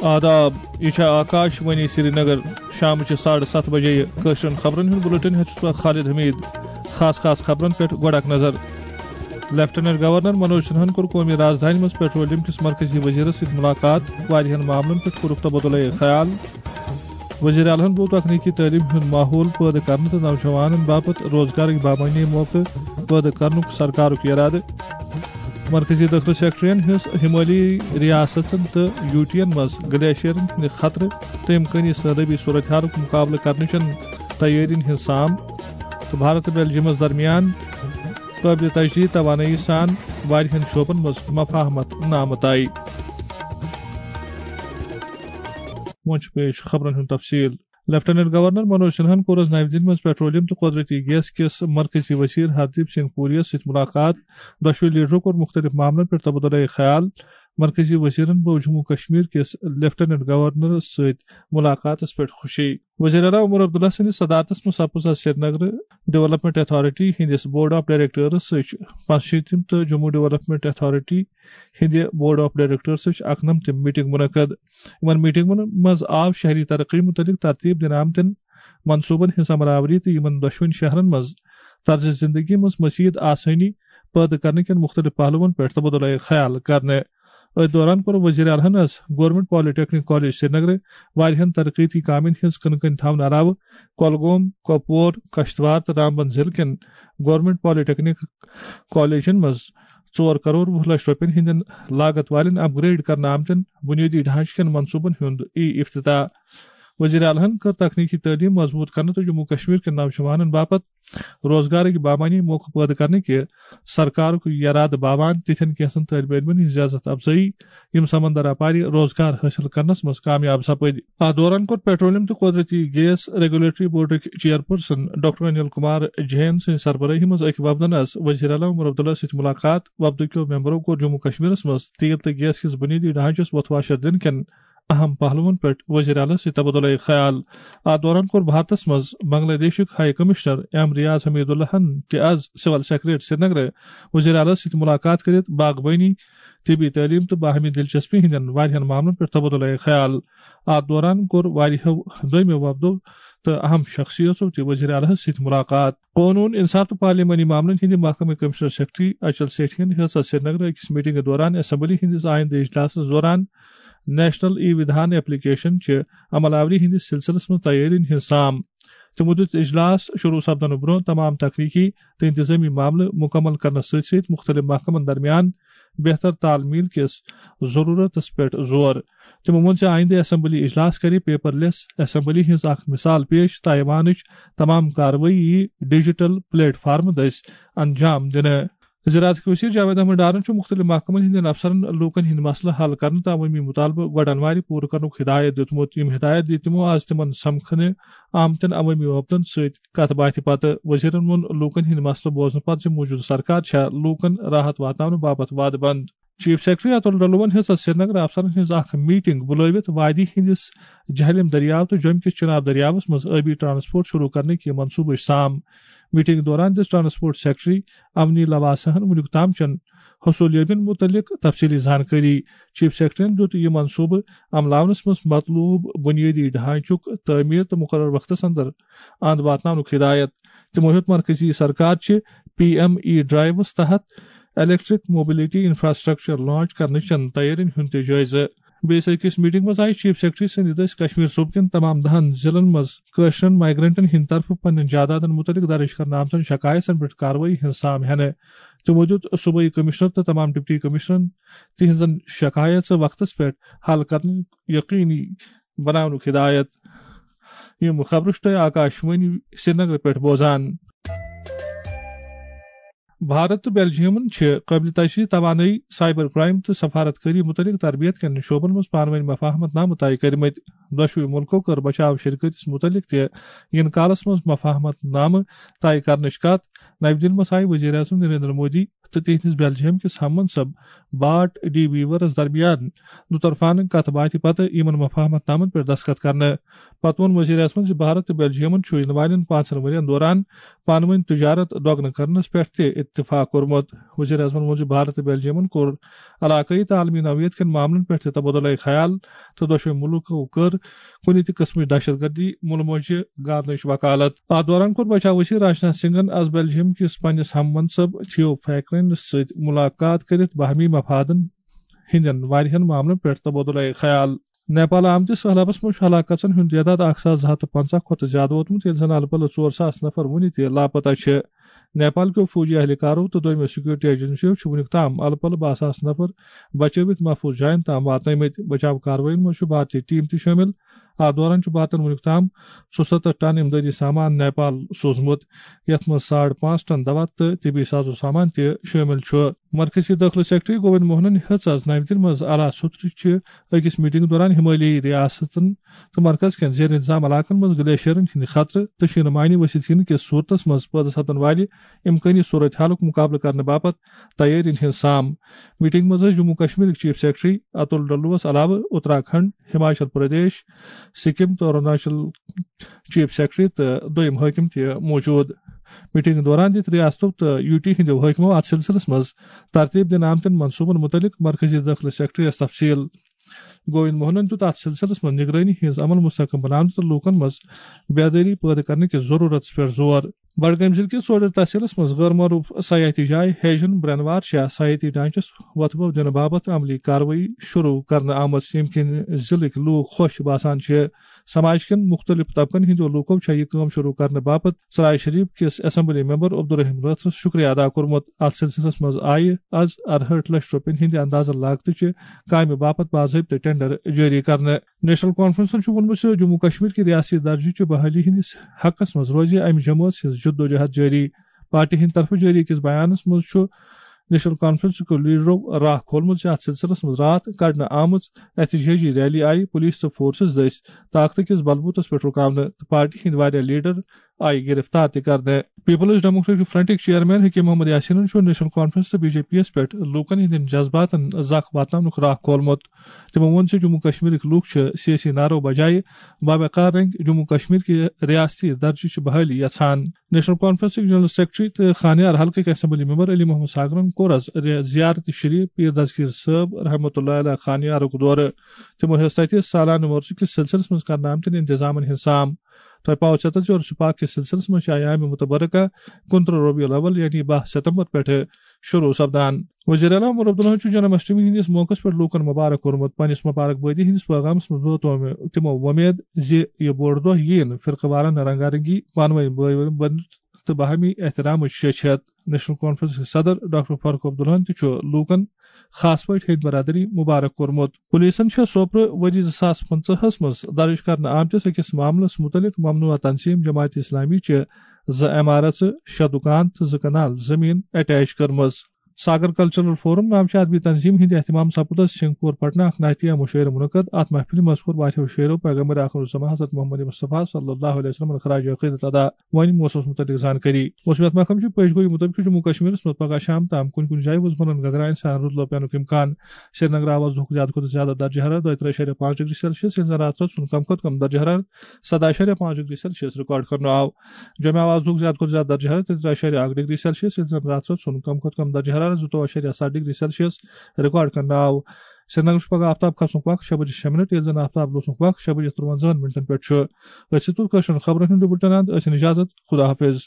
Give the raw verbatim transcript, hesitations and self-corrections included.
آداب، یہِ چھےٚ آکاش وانی سرینگر۔ شامچہِ ساڑٕ ستھ بجے کٲشرٮ۪ن خبرن ہُنٛد بُلٹن ہیٚتھ چھُس بہٕ خالد حمید۔ خاص خاص خبرن پٮ۪ٹھ گۄڈٕ اکھ نظر۔ لیفٹیننٹ گورنر منوج سنہن کوٚر قومی راجدھانی منٛز پیٹرولیم کِس مرکزی وزیرس سۭتۍ ملاقات، واریاہن معاملن پٮ۪ٹھ کوٚرُکھ تبادلہ خیال۔ وزیر اعلیٰ ہن بُو تکنیکی تعلیم ہُنٛد ماحول پٲدٕ کرنہٕ تہٕ نوجوانن باپتھ روزگارٕکۍ بامعنی موقعہٕ پٲدٕ کرنُک سرکارُک ارادٕ۔ مرکزی دٲخلہٕ سیکرٹریَن ہٕنٛز ہمٲلی ریاستن تہٕ یو ٹیَن منٛز گلیشیرن ہٕنٛدِ خطرٕ تہٕ امکٲنی سیلٲبی صورتحالُک مقابلہٕ کرنٕچن تیٲرین ہٕنٛز سام تہٕ بھارت تہٕ بیلجیمس درمیان قٲبلِ تجدید توانٲیی سان واریاہن شعبن منٛز مفاہمت نامہٕ طے۔ وۄنۍ چھُ پیش خبرن ہُنٛد تفصیل۔ لیفٹیننٹ گورنر منوج سنہن کوٚر آز نَوِ دِلہِ منٛز پیٹرولیم تہٕ قۄدرٔتی گیس کِس مرکزی وزیر ہردیپ سنگھ پوریَس سۭتۍ مُلاقات۔ دۄشوٕے لیڈرو کوٚر مُختٔلِف معاملن پٮ۪ٹھ تبادلہ خیال۔ مرکزی وزیرن بوو جموں کشمیر کِس لیفٹیننٹ گورنرس سۭتۍ مُلاقاتس پٮ۪ٹھ خوشی۔ وزیر اعلیٰ عمر عبداللہ سٕنٛدِس صدارتس منٛز سپُز آز سرینگرٕ ڈیولپمنٹ اتھارٹی ہٕنٛدِس بورڈ آف ڈائریکٹرس سۭتۍ پانٛژشیٖتِم تہٕ جموں ڈیولپمنٹ اتھارٹی ہٕنٛدِ بورڈ آف ڈائریکٹرس سۭتۍ اکنمتِم میٹنگ منعقد۔ یِمن میٹنگن منٛز آو شہری ترقی متعلق ترتیب دِنہٕ آمتٮ۪ن منصوبن ہٕنٛز عمل آوری تہٕ یِمن دۄشوٕنی شہرن منٛز طرز زندگی منٛز مزید آسٲنی پٲدٕ کرنہٕ کٮ۪ن مُختٔلِف پہلوَن پٮ۪ٹھ تبادلہ خیال کرنہٕ۔ أتھۍ دوران کوٚر وزیر اعلیٰ ہن آز گورنمنٹ پالیٹیکنک کالج سرینگرٕ واریاہن ترقیتی کامٮ۪ن ہٕنٛز کٕنہٕ کٔنۍ تھاونہٕ علاوٕ کۄلگوم، کۄپور، کشتواڑ تہٕ رامبن ضلعہٕ کٮ۪ن گورنمنٹ پالیٹیکنک کالجن منٛز ژور کرور وُہ لچھ رۄپین ہٕنٛدٮ۪ن لاگت والٮ۪ن اپ گریڈ کرنہٕ آمتٮ۪ن بنیٲدی ڈھانچہٕ کٮ۪ن منصوبن ہُنٛد ای افتتاح۔ وزیر اعلیٰ ہن کٔر تکنیکی تعلیٖم مضبوٗط کرنہٕ تہٕ جموں کشمیر کٮ۪ن نوجوانن باپتھ روزگارٕکۍ بامعنی موقعہٕ پٲدٕ کرنہٕ کہِ سرکارُک یرادٕ باوان تِتھٮ۪ن کینٛژن طٲلبہِ علمن ہٕنٛز عزت افزٲیی، یِم سمندر اپارِ روزگار حٲصِل کرنس منٛز کامیاب سپٕدۍ۔ اتھ دوران کوٚر پیٹرولیم تہٕ قۄدرٔتی gas regulatory بورڈٕکۍ chairperson doctor Anil Kumar Jain سٕنٛزِ سربرٲہی منٛز أکۍ وفدن آز وزیر اعلیٰ عمر عبداللہ سۭتۍ مُلاقات۔ وفدٕکیو ممبرو کوٚر جموں کشمیرس منٛز تیل تہٕ گیس کِس بُنیٲدی ڈھانچس وۄتھواشر دِنہٕ کٮ۪ن اہم پہلوَن پٮ۪ٹھ وزیر اعلیٰ سۭتۍ تبادلہ خیال۔ اتھ دوران کوٚر بھارتس منٛز بنگلہ دیشُک ہائی کمشنر ایم ریاض حمید اللہ ہن تہِ آز سول سیکرٹریٹ سرینگرٕ وزیر اعلیٰ سۭتۍ ملاقات کٔرِتھ باغبٲنی، طبی تعلیٖم تہٕ باہمی دلچسپی ہٕنٛدٮ۪ن واریاہن معاملن پٮ۪ٹھ تبادلہ خیال۔ اتھ دوران کوٚر واریاہو دوٚیمو وفدو تہٕ اہم شخصیژو تہِ وزیر اعلیٰ ہس سۭتۍ ملاقات۔ قونوٗن، انصاف تہٕ پارلیمانی معاملن ہٕنٛدِ محکمہٕ کمشنر سیکرٹری اچل سیٹھین ہیٚژ آز سرینگرٕ أکِس میٹنگہِ دوران اسمبلی ہٕنٛدِس آیندٕ اجلاسس دوران نیشنل ای ودھان ایپلیکیشن چہِ عمل آوری ہٕنٛدِس سلسلس منٛز تیٲرین ہٕنٛز سام۔ تِمو دیُت اجلاس شروع سپدنہٕ برٛونٛہہ تمام تکنیکی تہٕ انتظٲمی معاملہٕ مُکمل کرنس سۭتۍ سۭتۍ مُختٔلِف محکمن درمیان بہتر تال میل کِس ضروٗرتس پٮ۪ٹھ زور۔ تِمو ووٚن زِ آیندٕ اسمبلی اجلاس کرِ پیپر لیس اسمبلی ہٕنٛز اکھ مثال پیش تہٕ ایوانٕچ تمام کاروٲیی یی ڈیجیٹل پلیٹ فارم دٔسۍ انجام دِنہٕ۔ زراعتٕکۍ وزیر جاوید احمد ڈارن چھُ مُختٔلِف محکمن ہٕنٛدٮ۪ن افسرن لوٗکن ہٕنٛدۍ مسلہٕ حل کرنہٕ تہٕ عوٲمی مطالبہٕ گۄڈٕ انوارِ پوٗرٕ کرنُک ہدایت دِیُتمُت۔ یِم ہدایت دِتۍ تِمو آز تِمن سمکھنہٕ آمتٮ۪ن عوٲمی وفدن سۭتۍ کتھ باتھِ پتہٕ۔ وزیرن ووٚن لوٗکن ہٕنٛدۍ مسلہٕ بوزنہٕ پتہٕ زِ موٗجوٗدٕ سرکار چھےٚ لوٗکن راحت واتناونہٕ باپتھ وعدٕ بنٛد۔ چیف سیکرٹری اتل ڈلوَن ہیٚژ آز سرینگرٕ افسرن ہٕنٛز اکھ میٹنگ بُلٲوِتھ وادی ہٕنٛدِس جہلم دٔریاو تہٕ جوٚمہِ کِس چناب دٔریاوس منٛز ٲبی ٹرانسپورٹ شروع کرنٕکہِ منصوٗبٕچ سام۔ میٹنگ دوران دِژ ٹرانسپورٹ سیکرٹری امنی لواسہن وُنیُک تام چٮ۪ن حصوٗلیٲبین مُتعلق تفصیٖلی زانکٲری۔ چیف سیکرٹریَن دِیُت یہِ منصوٗبہٕ عملاونس منٛز مطلوب بُنیٲدی ڈھانچُک تعمیٖر تہٕ مُقررٕ وقتس اندر اند واتناونُک ہدایت۔ تِمو ہیوٚت مرکزی سرکار چہِ پی ایم ای ڈرائیوس تحت الیکٹرک موبلٹی انفراسٹرکچر لانچ کرنہٕ چٮ۪ن تیٲرین ہُنٛد تہِ جٲیزٕ۔ بیٚیِس أکِس میٹنگ منٛز آیہِ چیف سیکرٹری سٕنٛدِ دٔسۍ کشمیر صوبہٕ کٮ۪ن تمام دَہن ضلعن منٛز کٲشرٮ۪ن مائیگرنٹن ہٕنٛدِ طرفہٕ پننٮ۪ن جائیدادن مُتعلق درٕج کرنہٕ آمژن شکایژن پٮ۪ٹھ کاروٲیی ہٕنٛز سام ہٮ۪نہٕ۔ تِمو دِیُت صوبٲئی کمشنر تہٕ تمام ڈپٹی کمشنرن تِہنٛزن شکایژٕ وقتس پٮ۪ٹھ حل کرنہٕ یقینی بناونُک ہدایت۔ یِم خبرٕ چھِ تُہۍ آکاش وانی سرینگرٕ پٮ۪ٹھ بوزان۔ بھارت تہٕ بیلجیمن چھِ قٲبلِ تجدید توانٲیی، سائبر کرائم تہٕ سفارت کٲری مُتعلق تربیت کٮ۪ن شعبن منٛز پانہٕ وٲنۍ مفاہمت نامہٕ طے کٔرمٕتۍ۔ دۄشوٕے مُلکو کٔر بچاو شرکٲتِس مُتعلق تہِ یِنہٕ کالس منٛز مفاہمت نامہٕ طے کرنٕچ کتھ۔ نَوِ دِلہِ منٛز آیہِ وزیر اعظم نریندر مودی تہٕ تِہنٛدِس بیلجیم کِس ہم منصب بارٹ ڈی ویورس درمیان دُطرفانہٕ کتھ باتھِ پتہٕ یِمن مفاہمت نامن پٮ۪ٹھ دستخط کرنہٕ۔ پتہٕ ووٚن وزیر اعظمن زِ بھارت تہٕ بیلجیمن چھُ یِنہٕ والٮ۪ن پانٛژن ؤرین دوران پانہٕ وٲنۍ تجارت دۄگنہٕ کرنس پٮ۪ٹھ تہِ اتفاق کوٚرمُت۔ وزیر اعظمن ووٚن زِ بھارت تہٕ بیلجیمن کوٚر علاقٲیی تہٕ عالمی نوعیت کٮ۪ن معاملن پٮ۪ٹھ تہِ تبادلہ خیال تہٕ دۄشوٕے مُلکو کٔر کُنہِ تہِ قٕسمٕچ دہشت گردی مُلہٕ مۄنجہِ گاونٕچ وکالت۔ اتھ دوران کوٚر بچاو وزیر راجناتھ سنگھن از بیلجیم کِس پننِس ہم منصب تھیو فیکرینس سۭتۍ ملاقات کٔرِتھ باہمی مفادن ہٕنٛدٮ۪ن واریاہن معاملن پٮ۪ٹھ تبادلہ خیال۔ نیپال آمتِس سہلابس منٛز چھُ ہلاک گژھن ہُنٛد تعداد اکھ ساس زٕ ہتھ تہٕ پنٛژاہ کھۄتہٕ زیادٕ ووتمُت، ییٚلہِ زن الہٕ پلہٕ ژور ساس نفر وُنہِ تہِ لاپتہ چھِ۔ نیپال کیو فوجی اہلکارو تہٕ دوٚیمہِ سیکورٹی ایجنسیو چھِ وُنیُک تام الہٕ پلہٕ باہ ساس نفر بچٲوِتھ محفوظ جاین تام واتنٲومٕتۍ۔ بچاو کاروٲیین منٛز چھُ بھارتی ٹیم تہِ شٲمِل۔ اتھ دوران چھُ بھارتن وُنیُک تام ژُسَتتھ ٹن امدادی سامان نیپال سوٗزمُت، یتھ منٛز ساڑ پانٛژھ ٹن دوا تہٕ طبی سازو سامان تہِ شٲمِل چھُ۔ مرکزی دٲخلہٕ سیکرٹری گووند موہنن ہیٚژ از نَوِ دِلہِ منٛز اعلیٰ سطحٕچہِ أکِس میٹنگ دوران ہمالیٲیی ریاستن تہٕ مرکز کٮ۪ن زیر انتظام علاقن منٛز گلیشیرن ہٕنٛدِ خطرٕ تہٕ شیٖنہٕ مانہِ ؤسِتھ یِنہٕ کِس صورتس منٛز پٲدٕ سپدن والہِ امکٲنی صورت حالُک مُقابلہٕ کرنہٕ باپتھ تیٲرین ہٕنٛز سام۔ میٹنگ منٛز ٲسۍ جموں کشمیرٕکۍ چیف سیکرٹری اتُل ڈلوس علاوٕ اتراکھنڈ، ہماچل پردیش، سکم تہٕ اروناچل چیف سیکرٹری تہٕ دوٚیم حٲکِم تہِ موجود۔ میٹنگ دوران دِتۍ ریاستو تہٕ یو ٹی ہٕنٛدیو حٲکمو اتھ سلسلس منٛز ترتیب دِنہٕ آمتٮ۪ن منصوبن مُتعلق مرکزی دٲخلہٕ سیکرٹریس تفصیل۔ گووند موہنن دیُت اتھ سلسلس منٛز نگرٲنی ہٕنٛز عمل مستحکم بناونہٕ تہٕ لوٗکن منٛز بیدٲری پٲدٕ کرنہٕ کِس ضروٗرتس پٮ۪ٹھ زور۔ بڈگٲمۍ ضلعہٕ کِس ژوڈر تحصیلس منٛز غٲر معروف سیاحتی جاے ہیجن برٛنوار شاہ سیاحتی ڈھانچس وۄتھٕ بو دِنہٕ باپتھ عملی کاروٲیی شروع کرنہٕ آمٕژ، ییٚمہِ کِنۍ ضلعٕکۍ لوٗکھ خۄش باسان چھِ۔ سماج کٮ۪ن مُختٔلِف طبقن ہٕنٛدیو لوٗکو چھےٚ یہِ کٲم شروع کرنہٕ باپتھ ژرارِ شریف کِس اسمبلی ممبر عبدالرحیم رٲتھرس شُکریہ ادا کوٚرمُت۔ اتھ سلسلس منٛز آیہِ از ارہٲٹھ لچھ رۄپین ہٕنٛدِ اندازٕ لاگتہٕ چہِ کامہِ باپتھ باضٲبطہٕ ٹینڈر جٲری کرنہٕ۔ نیشنل کانفرنسن چھُ ووٚنمُت زِ جموں کشمیر کہِ ریاستی درجہٕ چہِ بحالی ہٕنٛدِس حقس منٛز روزِ امہِ جمٲژ ہٕنٛز جدوجہد جٲری۔ پارٹی ہٕنٛدِ طرفہٕ جٲری أکِس بیانس منٛز چھُ نیشنل کانفرنسٕکیو لیڈرو راہ کھولمُت زِ اتھ سلسلس منٛز راتھ کڑنہٕ آمٕژ احتجاجی ریلی آیہِ پولیس تہٕ فورسز دٔسۍ طاقتہٕ کِس بلبوتس پٮ۪ٹھ رُکاونہٕ تہٕ پارٹی ہٕنٛدۍ واریاہ لیڈر آیہِ گرفتار تہِ کرنہٕ۔ Peoples democratic فرنٹٕکۍ chairman Hakim Muhammad یاسینن چھُ نیشنل کانفرنس تہٕ بی جے پی یَس پٮ۪ٹھ لوٗکن ہٕنٛدٮ۪ن جذباتن زکھ واتناونُک راہ کھولمُت۔ تِمو ووٚن زِ جموں کشمیرٕکۍ لوٗکھ چھِ سیٲسی نعرو بجایہِ باوقار رنگ جموں کشمیر کہِ ریاستی درجٕچ بحٲلی یژھان۔ نیشنل کانفرنسٕکۍ جنرل سیکرٹری تہٕ خانیار حلقٕکۍ اسمبلی ممبر علی محمد ساگرن کوٚر از رِ-، زیارت شریف پیر دستگیر صٲب رحمتہ اللہ علیہ خانیارُک دورٕ۔ تِمو ہیوٚژ تتہِ سالانہٕ وۄرثہٕ کِس سلسلس منٛز کرنہٕ آمتٮ۪ن انتظامن ہٕنٛز سام۔ تۄہہِ پاوٕ ژیتس زِ عرس پاک کِس سلسلس منٛز چھِ ایام متبرکہ کُنترٕہ ربیع الاول یعنی باہ ستمبر پٮ۪ٹھٕ شروع سپدان۔ وزیر اعلیٰ عمر عبداللہن چھُ جنم اشٹمی ہٕنٛدِس موقعس پٮ۪ٹھ لوٗکن مبارک کوٚرمُت۔ پننِس مبارک بٲدی ہٕنٛدِس پیغامس منٛز ووت تِمو وۄمید زِ یہِ بوٚڑ دۄہ یِیہِ نہٕ فرقہٕ وارانہ رنگا رنگی، پانہٕ وٲنۍ بٲے بٔنۍ تہٕ باہمی احترامٕچ شیٚچھت۔ نیشنل کانفرنس کِس صدر ڈاکٹر فاروق عبداللہن تہِ چھُ لوٗکن خاص پٲٹھۍ ہیٚنٛدۍ برادری مبارک کوٚرمُت۔ پولیسن چھےٚ سوپرٕ ؤری زٕ ساس پٕنٛژٕہس منٛز درٕج کرنہٕ آمتِس أکِس معاملس مُتعلق ممنوعہ تنظیم جماعت اسلامی چہِ زٕ عمارژٕ، شےٚ دُکان تہٕ زٕ کنال زٔمیٖن اٹیچ کٔرمٕژ۔ ساگر کلچرل فورم ناوچہِ ادبی تنظیم ہٕنٛدِ اہتمام سپُد از سنگھ پور پٹنہ اکھ نعتیہ مشاعرٕ منعقد۔ اتھ محفلہِ منٛز کوٚر واریاہو شٲعرو پیغمبر آخر الزمان حضرت محمد مصطفیٰ صلی اللہ علیہ وسلمن خراج عقیدت ادا۔ وۄنۍ موسمس متعلق زانکٲری۔ موسمیات محکمہٕ چھُ پیش گویی مُطٲبِق چھُ جموں کشمیرس منٛز پگہہ شام تام کُنہِ کُنہِ جایہِ وُزمنن گگراین سان رُدٕ لوپینُک امکان۔ سرینگر آو از دُہُک زیادٕ کھۄتہٕ زیادٕ درجہ حرارت دۄیہِ ترٛہہِ اَشاریہ پانٛژھ ڈگری سیلسیس، ییٚلہِ زن راتہٕ رٲژ ہُنٛد کم کھۄتہٕ کم درجہ حرارت سداہ اَشاریہ پانٛژھ ڈگری سیلسیس ریکارڈ کرنہٕ آو۔ جوٚمہِ آو از دُہُک زیادٕ کھۄتہٕ زیادٕ درجہ حرارت ترٛےٚ اَشاریہ اکھ ڈگری سیلسیس، ییٚلہِ زن راتہٕ رٲژ ہُنٛد کم کھۄتہٕ کم درجہ حرارت زٕتووُہ اَشاریہ ستھ ڈگری سیلسیس ریکارڈ کرنہٕ آو۔ سرینگرس چھُ پگہہ آفتاب کھسنُک وقت شےٚ بجے شےٚ منٹ، ییٚلہِ زن آفتاب لوسنُک وقت شےٚ بجے تُرٛوَنزاہن منٹن پٮ۪ٹھ چھُ۔ أسۍ تُل کٲشرٮ۪ن خبرن ہُنٛد یہِ بُلٹن اند، ٲسِن اجازت، خدا حافظ۔